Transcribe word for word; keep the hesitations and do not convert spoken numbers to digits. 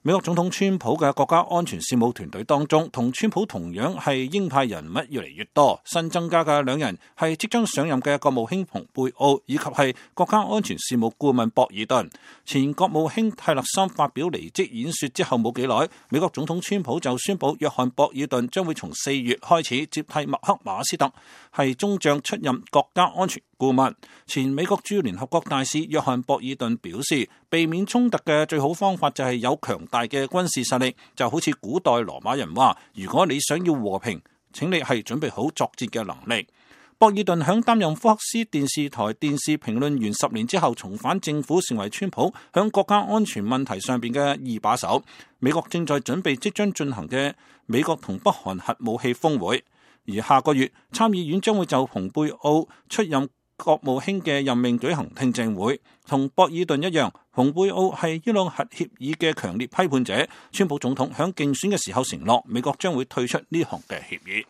美國總統川普嘅國家安全事務團隊當中，同川普同樣係鷹派人物越嚟越多。新增加嘅兩人係即將上任嘅國務卿蓬佩奧，以及係國家安全事務顧問博爾頓。前國務卿泰勒森發表離職演說之後冇幾耐，美國總統川普就宣布約翰博爾頓將會從四月開始接替麥克馬斯特，係中將出任國家安全顧問。前美國駐聯合國大使約翰博爾頓表示，避免衝突嘅最好方法就係有強大嘅軍事實力，就好似古代羅馬人話，如果你想要和平，請你係準備好作戰嘅能力。博爾頓響擔任福克斯電視台電視評論員十年之後重返政府，成為川普響國家安全問題上邊嘅二把手。美國正在準備即將進行嘅美國同北韓核武器峰會，而下個月參議院將會就蓬佩奧出任國務卿嘅任命舉行聽證會。同博爾頓一樣，蓬佩奧係伊朗核協議嘅強烈批判者。川普總統響競選嘅時候承諾，美國將會退出呢項嘅協議。